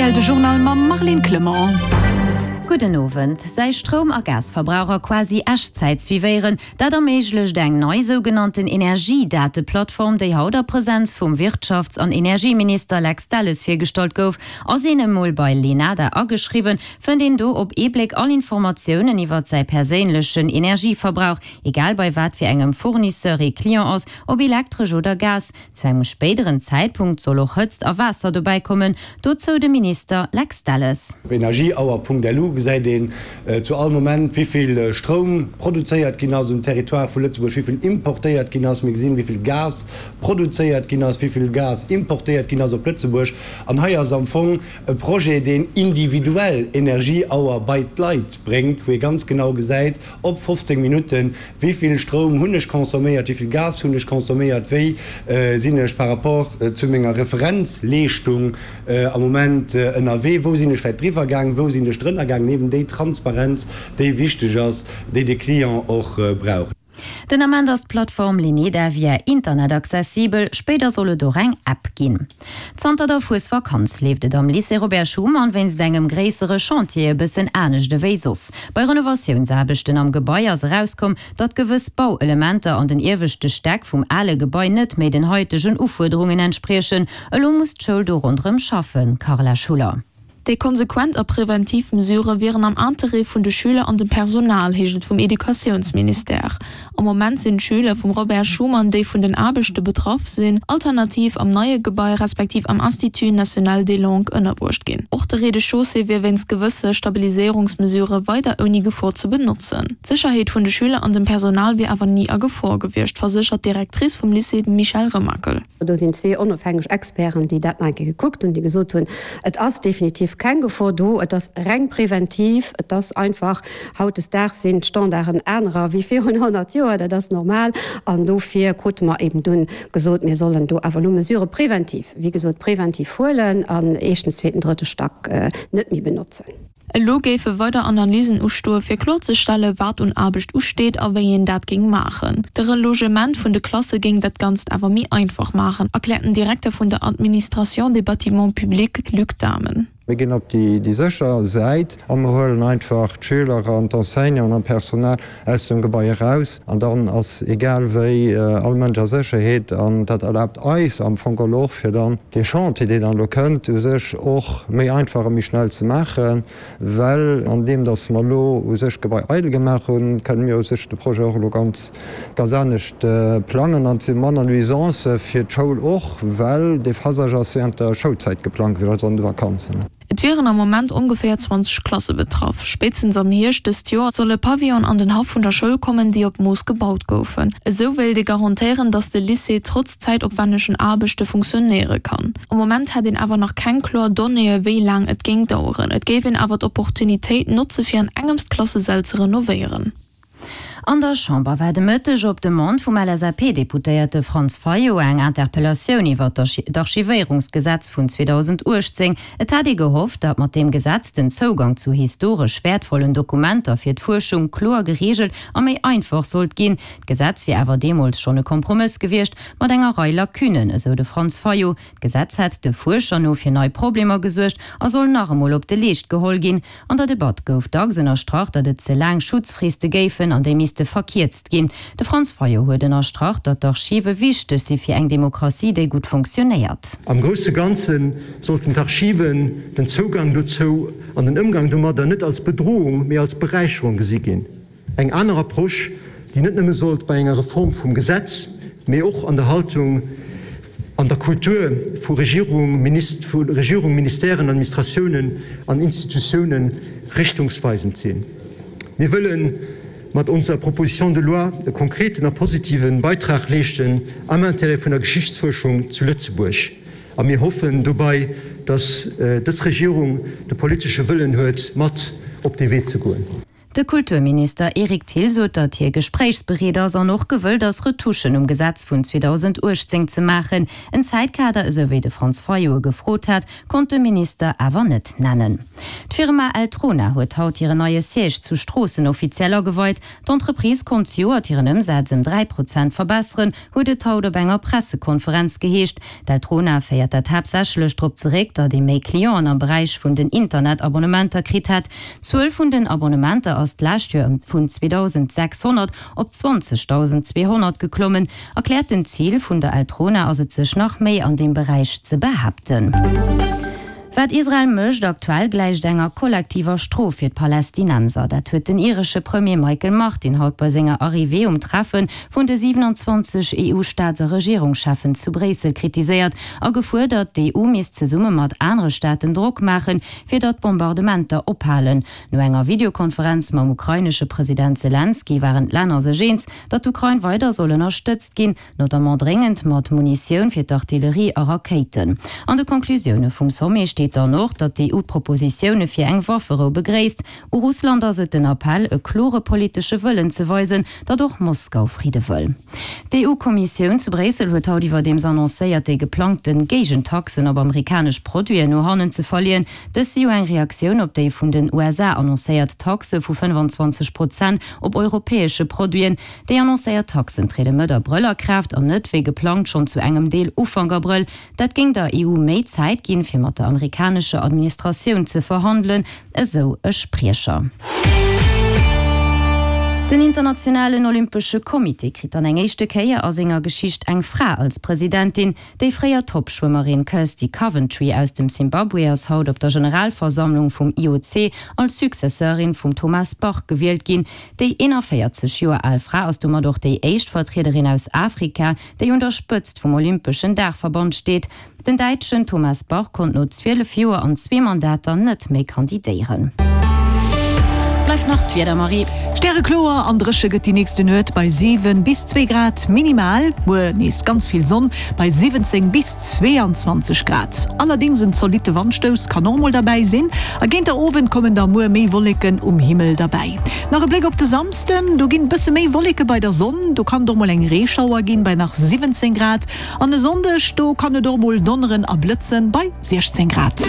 rtl, de Journal mam Marlene Clement. Gudden Owend. Säi Stroum a Gasverbraucher quasi Echtzäit suivéieren, dat erméiglecht eng nei sougenannten Energiedateplattform, déi haut a Presenz vum Wirtschafts an Energieminister Lex Delles virgestallt gouf. Ass een emol bei Lenada ageschriwwen, fënnt een do op ee Bléck all Informatiounen iwwert säi perséinlechen Energieverbrauch, egal bei wat fir engem Fournisseur ee Client ass, ob Elektresch oder Gas. Zu engem spéideren Zäitpunkt soll och Hëtzt a Waasser dobäi kommen, dozou de Minister Lex Delles. Op energieauer.lu gesäit een zu all Moment, wéi vill Stroum produzéiert ginn ass um Territoire vu Lëtzebuerg, wéi vill importéiert ginn ass. Mir gesinn, wéi vill Gas produzéiert ginn ass, wéi vill Gas importéiert ginn ass op Lëtzebuerg. An hei ass am Fong e Projet, deen individuell Energieauer bei d'Leit bréngt, wou ee ganz genau gesäit, op 15 Minutten, Wéi vill Stroum hunn ech consomméiert, wéi vill Gas hunn ech consomméiert, wéi sinn ech par rapport zu menger Referenzleeschtung am Moment ënnerwee, wou sinn ech vläicht driwwer gaang, wou sinn ech drënner gaang, eben déi Transparenz, déi wichteg ass, déi de Client och brauch. Den Ament ass d'Plattform Leneda via Internet accessibel, spéider soll et och eng App ginn. Zanter der Fuesvakanz leeft et am Lycée Robert Schuman wéinst engem gréissere Chantier e bëssen anescht ewéi soss. Bei Renovatiounsaarbechten am Gebai ass erauskomm, datt gewëss Bauelementer an den ieweschte Stäck vum ale Gebai net méi den haitegen Ufuerderungen entspriechen. Elo muss d'Schoul do ronderëm schaffen, Carla Schuller. Déi konsequent a preventiv Mesurë wieren am Interêt vun de Schüler an dem Personal, heescht et vum Educatiounsministère. Am Moment sinn d'Schüler vum Robert Schuman, déi vun den Aarbechte betraff sinn, alternativ am neie Gebai respektiv am Institut national des langues ënnerbruecht ginn. Och de Rez-de-chaussée wier wéinst gewësse Stabiliséierungsmesurë weider ouni Gefor ze benotzen. D'Sécherheet vun de Schüler an dem Personal wier awer ni a Gefor gewiescht, verséchert d'Directrice vum Lycée Michèle Remakel. Do sinn zwee onofhängeg Experten, déi dat nach eng Kéier gekuckt hunn, déi gesot hunn, Et ass definitiv keng Gefor do, et ass reng preventiv, et ass einfach, hautdesdaags sinn d'Standarden anerer wéi virun 100 Joer, dat ass normal. An dofir krute mer eben dunn gesot, mir sollen do awer elo Mesurë preventiv, wéi gesot preventiv huelen an éischten, zweeten, drëtte Stack net méi benotzen. Elo géife weider Analysen ustoe fir kloerzestelle wat un Aarbecht usteet a wéi een dat géing maachen. De Relogement vun de Klasse géing dat Ganzt awer méi einfach maachen, erkläert den Direkter vun der Administration des bâtiments publics Luc Dahmen. Mir ginn op déi sécher Säit a mer huelen einfach d'Schüler an d'Enseignanten an d'Personal aus dem Gebai eraus an dann ass egal wéi all Mënsch a Sécherheet an dat erlaabt eis am Fong geholl och fir dann dee Chantier deen dann elo kënnt u sech och méi einfach a méi schnell ze maachen, well an deem datt mer elo u sech d'Gebai eidel gemaach hunn, kënne mir u sech de Projet och elo ganz ganz anescht plangen an et si manner Nuisancë fir d'Schoul och, well dee Phasage ass während der Schoulzäit geplangt gewiescht, also an de Vakanzen. Et wieren am Moment ongeféier 20 Klasse betraff. Spéitstens am Hierscht dëst Joer solle Pavillon an den Haff vun der Schoul kommen, déi op Mooss gebaut goufen. Esou wéilt ee garantéieren, datt de Lycée trotz zäitopwännegen Aarbechte funktionéiere kann. Am Moment hätt een awer nach keng kloer Donnéeë wéi laang et géing daueren. Et géif een awer d'Opportunitéit notze fir an engems d'Klassesäll ze renovéieren. An der Chamber war de Mëtteg op Demande vum LSAP-Deputéierte Franz Fayot eng Interpellatioun iwwer d'Archivéierungsgesetz vun 2018. Et hat ee gehofft, datt mat deem Gesetz den Zougang zu historesch wäertvollen Dokumenter fir d'Fuerschung kloer gereegelt a méi einfach sollt ginn. D'Gesetz wier awer deemools schonn e Kompromëss gewiescht, mat enger Rei Lacunnen, esou de Franz Fayot. D'Gesetz hätt de Fuerscher no fir nei Problemer gesuergt a soll nach emol op de Leescht geholl ginn. An der Debatt gouf dacks ënnerstrach, datt et ze laang Schutzfriste géifen an déi misste verkierzt ginn. De Franz Fayot huet ënnerstrach, datt d'Archive wichteg si fir eng Demokratie, déi gutt fonctionnéiert. Am grousse Ganze sollten d'Archiven, den Zougang dozou an den Ëmgang domadder net als Bedrohung, mee als Beräicherung gesi ginn. Eng aner Approche, déi net nëmme sollt bei enger Reform vum Gesetz, mee och an der Haltung an der Kultur vu Regierung, Regierung, Ministèren, Administratiounen an Institutiounen richtungsweisend sinn. Mir wëlle mat onser Proposition de loi e konkreten a positive Beitrag leeschten am Intérêt vun der Geschichtsfuerschung zu Lëtzebuerg a mir hoffen dobei, dass dës Regierung de politesche Wëllen huet, mat op dee Wee ze goen. De Kulturminister Eric Thill sot, datt hie gespréichsbereet ass an och gewëllt ass, Retouchen um Gesetz vun 2018 ze maachen. En Zäitkader, esou wéi de Franz Fayot e gefrot hat, konnt de Minister awer net nennen. D'Firma Eltrona huet haut hiren neie Siège zu Stroossen offiziell ageweit. D'Entreprise konnt zejoert hiren Ëmsaz ëm 3 Prozent verbesseren, huet et haut op enger Pressekonferenz geheescht. D'Eltrona féiert dat haaptsächlech drop zeréck, datt ee méi Clienten am Beräich vun den Internetabonnementer kritt hätt. D'Zuel vun den Abonnementer ass d'lescht Joer ëm vun 2.600 op 20.200 geklommen. Erkläerten Zil vun der Eltrona ass et sech nach méi an deem Beräich ze behaapten. Wat Israel mécht aktuell gläicht enger kollektiver Strof fir d'Palästinenser. Dat huet den iresche Premier Michael Martin haut bei senger Arrivée um Treffe vun de 27 EU-Staats a Regierungscheffen zu Bréissel kritiséiert a gefuerdert, d'EU misst zesumme mat anere Staaten Drock maachen, fir datt d'Bombardementer ophalen. No enger Videokonferenz mam ukrainesche President Selenskyj waren d'Länner sech eens, datt d'Ukrain weider soll ënnerstëtzt ginn, notamment dréngend mat Munitioun fir d'Artillerie a Rakéiten. An de Conclusioune vum Sommet steet dann och, datt d'EU d'Propositioune fir eng Wafferou begréisst. U Russland ass et den Appell, e klore politesche Wëllen ze weisen, datt och Moskau Fridde wëll. D'EU-Kommissioun zu Bréissel huet haut iwwerdeems annoncéiert, déi geplangte Géigentaxen op amerikanesch Produiten no hannen ze verleeën. Dës si jo eng Reaktioun op déi vun den USA annoncéiert Taxe vu 25 Prozent op europäesche Produiten. Déi annoncéiert Taxen triede Mëtt Abrëll a Kraaft an net wéi geplangt schonn zu engem Deel Ufank Abrëll. Dat géing der EU méi Zäit ginn, fir mat der amerikanescher Administratioun ze verhandelen, esou e Spriecher. Den internationalen Olympesche Comité kritt dann eng éischte Kéier a senger Geschicht eng Fra als Presidentin. Déi fréier Top-Schwëmmerin Kirsty Coventry aus dem Simbabwe ass haut op der Generalversammlung vum IOC als Successeurin vum Thomas Bach gewielt ginn. Déi 41 Joer al Fra ass domat och déi éischt Vertriederin aus Afrika, déi un der Spëtzt vum olympeschen Daachverband steet. Den Däitschen Thomas Bach konnt no 12 Joer an zwee Mandater net méi kandidéieren. Bleift nach d'Wieder, Marie. Stärekloer an dréche gëtt déi nächste Nuet bei 7 bis 2 Grad minimal. Muer nees ganz vill Sonn bei 17 bis 22 Grad. Allerdéngs en zolitte Wandstouss kann och mol derbäi sinn a géint der Owend kommen da muer méi Wolleken um Himmel derbäi. Nach e Bléck op de Samsden, do ginn bësse méi Wolleke bei der Sonn, do kann et och mol eng Reeschauer ginn bei nach 17 Grad. An e Sonndeg, do kann et och mol donneren a blëtzen bei 16 Grad.